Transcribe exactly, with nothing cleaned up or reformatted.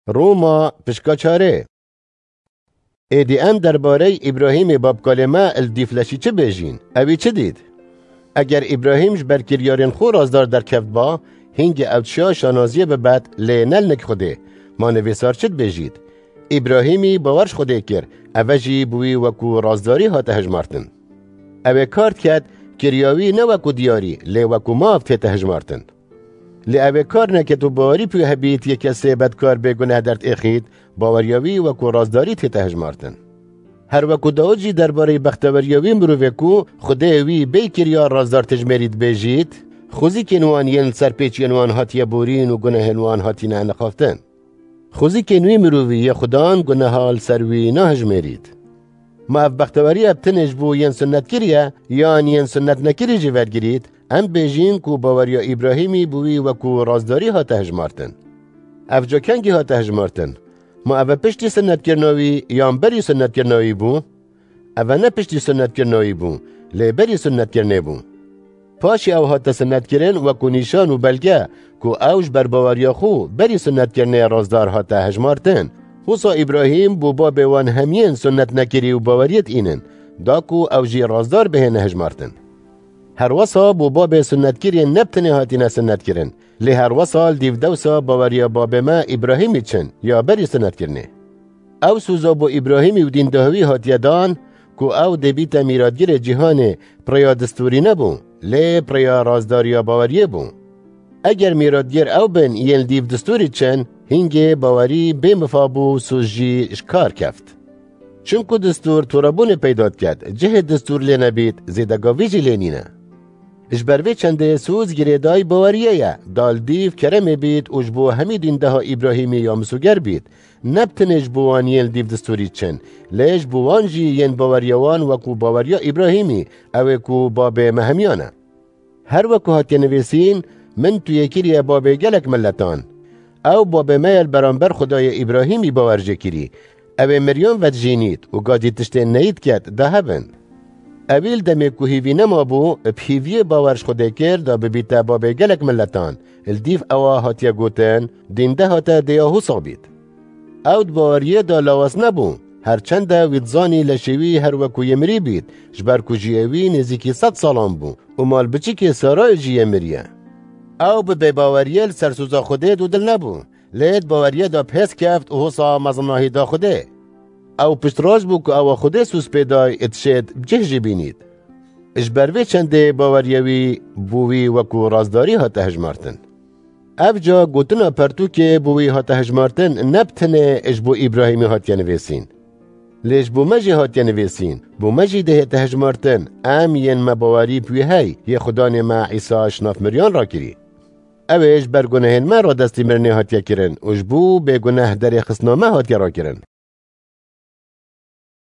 Roma pişka çarê. Êdî em derbarey Îbrahîmê babkalê me li dîfleşî çi bêjîn? Ewî çi dît? Eger Îbrahîm ji ber kiryarên xwe razdar derkevtba, hîngê ew dişa şanaziyê bibet, lê ne li nik Xwedê. Ma nivîsar çi dibêjît? Îbrahîmî bawer ji Xwedê kir, eve jî bi wî wekû razdarî hate hejmartin. Ew ê kar diket, kirya wî ne wekû diyarî, lê wekû mav tête hejmartin. Lê ew ê kar neket û bawerî pê hebît yê kesê bedkar bê guneh derdêxît, baweriya wî wekû razdarî tête hejmartin. Her wekû Dawid jî derbarê bexteweriya wî mirovê ku Xwedê wî bê kiriya razdar tijmêrî dibêjît, xwezîkên wan yên li ser pêçiyên wan hatiye borîn û gunehên wan hatine nixaftin. Xwezîkên wî mirovî yê Xudan guneha li ser wî nahijmêrît. Ma ev bexteweriya bi tenê ji bo yên sunnetkirî ye, yan yên sunnetnekirî jî vergirît, em bêjîn ku baweriya Îbrahîmî bi wî wekû razdarî hate hejmartin. Ev ca kengî hate hejmartin? Ma ev e piştî sunnetkirina wî yan berî sunnetkirina wî bû? Ev e ne piştî sunnetkirina wî bû, lê berî sunnetkirinê bû. Paşê ew hate sunnetkirin wekû nîşan û belge ku ew ji ber baweriya xwe berî sunnetkirinê razdar hate hejmartin. Wisa Îbrahîm bû babê wan hemiyên sunnetnekirî û baweriyê dînin, da ku ew jî razdar bihêne hejmartin. Her wisa bû babê sunnetkirî ne bi tenê hatine sunnetkirin, lê her wisa li dîv dewsa baweriya babê me Îbrahîmî çin ya berî sunnetkirinê. Ew soza bo Îbrahîmî û dîndeha wî hatiye dan ku ew dê bîte mîratgirê cîhanê, bi rêya distûrî nebû, lê bi rêya razdariya baweriyê bû. Eger mîratgir ew bin yên li dîv distûrî çin, hîngê bawerî bê mifa bû û soz jî ji kar keft. Çimku distûr torebûnê peyda diket, cihê distûr lê nebît, zêdegavî jî lê nîne. Ji ber vê çendê soz girêdayî baweriyê ye, da li dîv keremê bît û ji bo hemî dîndeha Îbrahîmî ya misoger bît, ne bi tenê ji bo wan yên li dîv distûrî çin, lê ji bo wan jî yên baweriya wan wekû baweriya Îbrahîmî, ew ê ku babê me hemiyan e. Her wekû hatiye nivîsîn, min tu yê kiriye babê gelek miletan. Ew babê me ye li beramber Xwedayê Îbrahîmî bawer jê kirî. Ew ê miriyan vedijînît û gadî tiştên neyî diket, da hebin. Ewî li demê ku hîvî nemabû, bi hîviyê bawer ji Xwedê kir, da bibîte babê gelek miletan. Li dîv ewa hatiye gotin, dînde hate dêya Hûsa bît. Ew di baweriyê de lawaz nebû. Her çende wî dizanî leşê wî her wekû yê mirî bît, ji ber ku jiyê wî nêzîkî sed salan bû û malbiçikê Sarayê jî yê mirî ye. Ew bi bêbaweriyê li ser soza Xwedê dûdil nebû, lê di baweriyê de bi hêz keft û Hûsa mezinahî da Xwedê. Ew piştrast bû ku ewa Xwedê soz pê day, dişêt bi cih jî bînît. Ji ber vê çendê baweriya wî bo wî wekû rastdarî hate hejmartin. Ev ca gotina pertûkê bo wî hate hejmartin ne bi tenê ji bo Îbrahîmî hatiye nivîsîn. Lê ji bo me jî hatiye nivîsîn, bo me jî dihête hejmartin, em yên me bawerî bi wî hey, yê Xudanê me Îsa ji nav miriyan rakirî. Ew ê ji ber gunehên me radestî mirinê hatiye kirin û ji bo bêguneh derêxistina me hatiye rakirin.